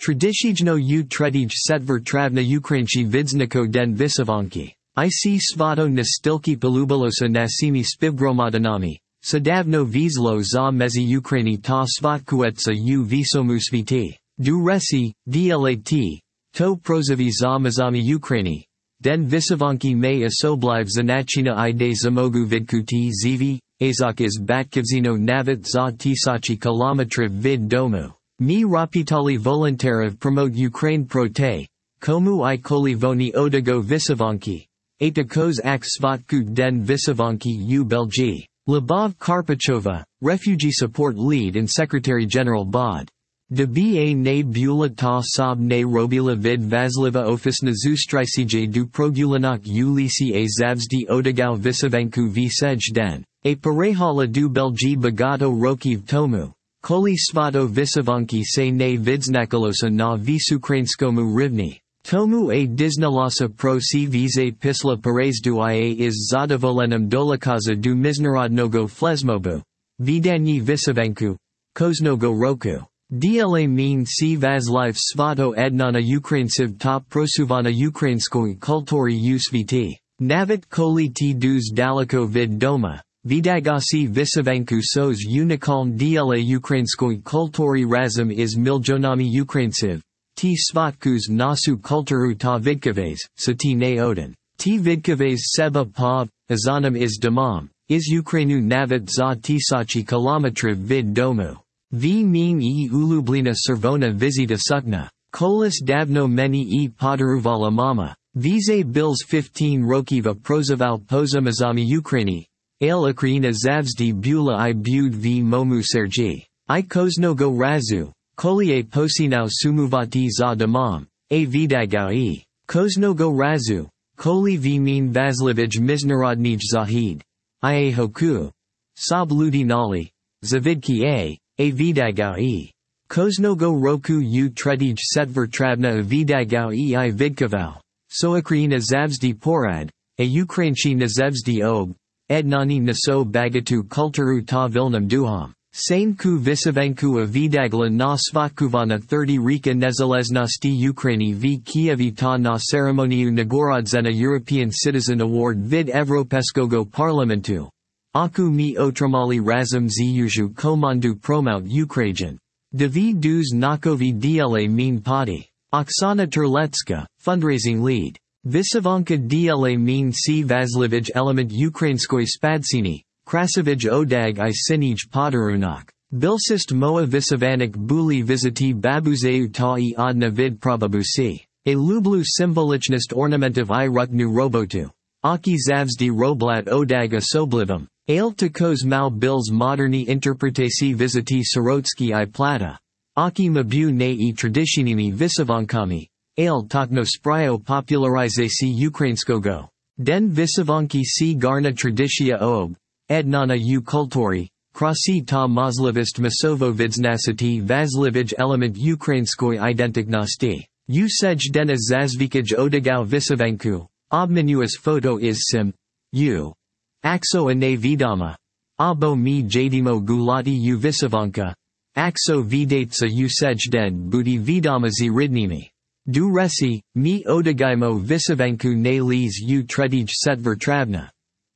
Tradicijno u tretij setvertravna Ukrainci vidzniko den Visovanki. I svato nastilki polubilosa nasimi spivgromadanami. Sadavno vizlo za mezi Ukraini ta svatkuetsa u visomu sviti. Du resi, dlat. To prozavi za mazami Ukraini. Den Visovanki may asobliv zanachina ide zamogu vidkuti zivi, azak is batkivzino navit za tisachi kilometriv vid domu. Mi rapitali volontariv promote Ukraine prote, komu I koli voni odago Visovanki. Atakos ak svatkut den Visovanki u Belgi. Lyubov Karpachova, refugee support lead and Secretary-General Bod. De ba ne bula ta sob ne robila vid Vasliva ofisna zustrisij du progulinak ulisi a zavsdi odagao Visavanku v sej den. A parehala du Belgi bagato rokiv tomu. Koli svato Visavanki se ne vidznakalosa na visukrainskomu rivni. Tomu a diznalasa pro si vize pisla parezdu ia is zadovolenem dolakaza du miznarodnogo flesmobu. Vidanyi Visavanku. Koznogo roku. Dla mean si vazliv svato ednana Ukrainsiv top prosuvana Ukrainskoi kultori u sviti. Navit koli ti dus daleko vid doma. Vidagasi Visavanku sos unikaln dla Ukrainskoi kultori razum is miljonami Ukrainsiv. T svatkus nasu kulturu ta vidkaves, sa ti ne odin. T vidkaves seba pav, azanam is damam, is Ukrainu navit za tisachi kilometriv vid domu. V mean e ulublina servona visita sukna. Kolis davno meni e podaruvala mama. Vize bills 15 rokiva prozaval pozamazami Ukraini. Ale Ukraina zavsdi bula I bud v momu sergi. I koznogo razu. Kolie posinau sumuvati za damam. A vidagao e. Koznogo razu. Koli v mean Vaslivij miznarodnij zahid. Ia hoku. Sob ludi nali. Zavidki a vidagao e. Koznogo roku u tretij setvertravna a vidagao e I vidkaval. Soakrina zavsdi porad. A Ukrainchi nazevsdi ob. Ednani naso bagatu kulturu ta vilnam duham. Sane ku Visavanku a vidagla na svatkuvana 30 rika nezaleznosti Ukraini v Kievi ta na ceremoniu nagorodzena European Citizen Award vid Evropeskogo Parlamentu. Aku mi otramali razum ziuju komandu promout Ukrajin. Davi dus nakovi dla mean padi. Oksana Terletska, fundraising lead. Visavanka dla mean si Vaslivij element Ukrainskoi spadsini. Krasavij odag I sinij podarunak. Bilsist moa Visavanik buli viziti babuzeu ta I odna vid probabusi. A lublu symbolichnist ornamentiv I ruknu robotu. Aki zavsdi roblat odag asoblivum. Ale takos mau bills moderni interpretasi viziti Sorotsky I plata. Aki mabu ne I traditionimi Visavankami. Ale takno spryo popularizasi Ukrainskogo. Den Visavanki si garna traditia ob. Ednana u kultori, krasi ta mazlivist masovo vidznasati Vaslivij element Ukrainskoi identiknosti. U sej dena zazvikij odagao Visavanku. Obminuous photo is sim. U. Axo ane vidama. Abo mi jadimo gulati u Visavanka. Axo vidatsa u sej den budi vidamazi ridnimi. Du resi, mi odagaimo Visavanku ne lis u tretij setvertravna.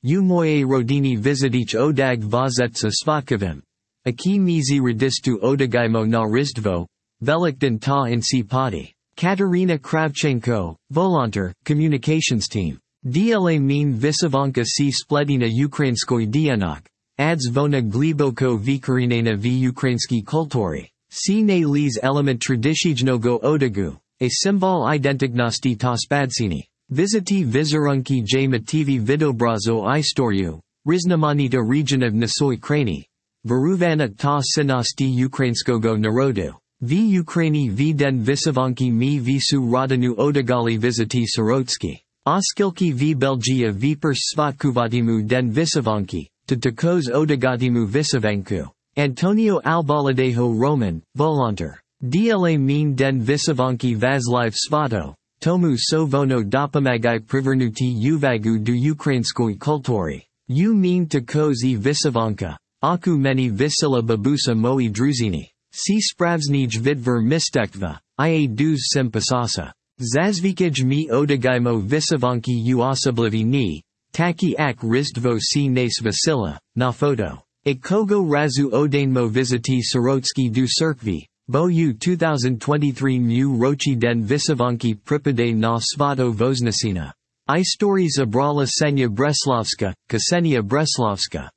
U moje rodini vizitich odag vazetsa svatkavim. Aki mizi radistu odagaimo na rizdvo, velikdan ta insi padi. Katerina Kravchenko, volonter, communications team. Dla mean Visavanka si spledina Ukrainskoi dienak. Ads vona gliboko vikarinena v Ukrainski kultori. Si ne lis element tradicijnogo odagu. A symbol identiknosti ta spadsini. Viziti vizerunki j mativi vidobrazo I storyu, riznamanita region of Nasoi Krani. Varuvana ta sinosti Ukrainskogo narodu. V Ukraini v den Visavanki mi visu rodanu odagali viziti Sorotsky. Oskilki v Belgia vipers svatkuvatimu den Visavanki, to takos odagatimu Visavanku. Antonio Albaladejo Roman, volonter. Dla mean den Visavanki Vasliv svato. Tomu so vono dopamagai privernuti uvagu du Ukrainskoi kultori. U mean takos I Visavanka. Aku meni visila babusa moi druzini. Si spravznij vidver mistekva. I dus sem pasasa. Zazvikij mi odagajmo visovanki u osoblivi ni, taki ak ristvo si nas vasila, na photo. Ikogo razu odanemo viziti Sirotski du Cirkvi, bo u 2023 mu rochi den visovanki pripade na svato voznesina. I stories abrala Senya Breslavska, Ksenia Breslavska.